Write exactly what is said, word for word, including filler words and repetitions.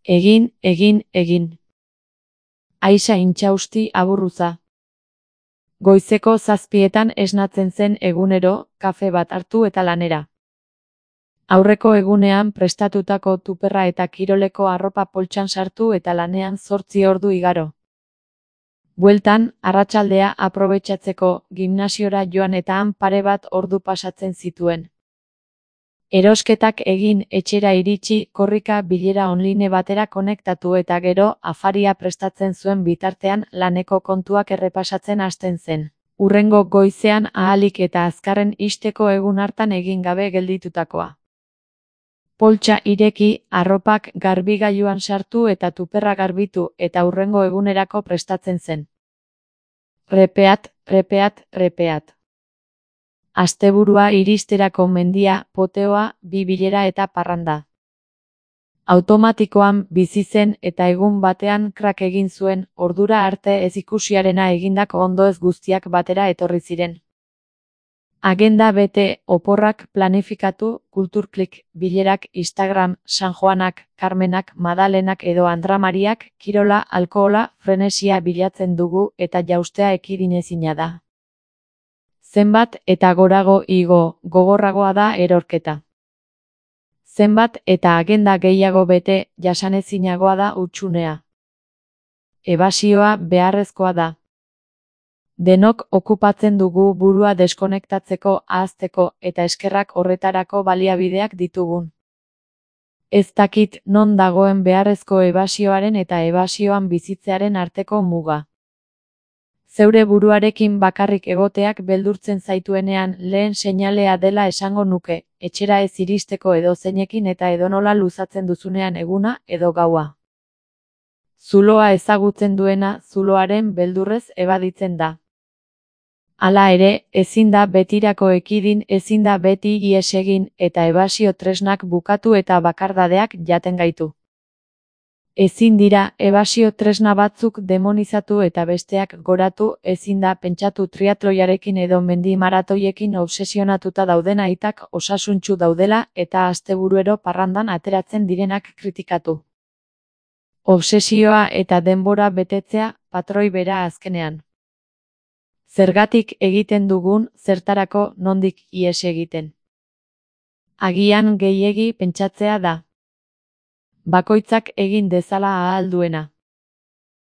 Egin, egin, egin. Aixa intxausti aburruza. Goizeko zazpietan esnatzen zen egunero, kafe bat hartu eta lanera. Aurreko egunean prestatutako tuperra eta kiroleko arropa poltsan sartu eta lanean zortzi ordu igaro. Bueltan, arratsaldea aprobetxatzeko gimnasiora joan eta han pare bat ordu pasatzen zituen. Erosketak egin, etxera iritsi, korrika bilera online batera konektatu eta gero afaria prestatzen zuen bitartean laneko kontuak errepasatzen hasten zen. Hurrengo goizean ahalik eta azkarren ixteko egun hartan egin gabe gelditutakoa. Poltsa ireki, arropak garbigailuan sartu eta tuperra garbitu eta hurrengo egunerako prestatzen zen. Repeat, repeat, repeat. Asteburua iristerako mendia, poteoa, bi bilera eta parranda. Automatikoan bizi zen eta egun batean krak egin zuen, ordura arte ez ikusiarena egindako ondoez guztiak batera etorri ziren. Agenda bete, oporrak planifikatu, kulturklik, bilerak, Instagram, San Joanak, Carmenak, Madalenak edo Andramariak, kirola, alkohola, frenesia bilatzen dugu eta jaustea ekidinezina da. Zenbat eta gorago igo, gogorragoa da erorketa. Zenbat eta agenda gehiago bete, jasanezinagoa da hutsunea. Ebasioa beharrezkoa da. Denok okupatzen dugu burua deskonektatzeko, ahazteko eta eskerrak horretarako baliabideak ditugun. Ez dakit non dagoen beharrezko ebasioaren eta ebasioan bizitzearen arteko muga. Zeure buruarekin bakarrik egoteak beldurtzen zaituenean lehen seinalea dela esango nuke, etxera ez iristeko edozeinekin eta edonola luzatzen duzunean eguna edo gaua. Zuloa ezagutzen duena zuloaren beldurrez ebaditzen da. Hala ere, ezin da betirako ekidin, ezin da beti ihes egin eta ebasio tresnak bukatu eta bakardadeak jaten gaitu. Ezin dira ebasio tresna batzuk demonizatu eta besteak goratu, ezin da pentsatu triatloiarekin edo mendi maratoiekin obsesionatuta dauden aitak osasuntsu daudela eta asteburuero parrandan ateratzen direnak kritikatu. Obsesioa eta denbora betetzea, patroi bera azkenean. Zergatik egiten dugun, zertarako nondik ihes egiten. Agian gehiegi pentsatzea da. Bakoitzak egin dezala ahal duena.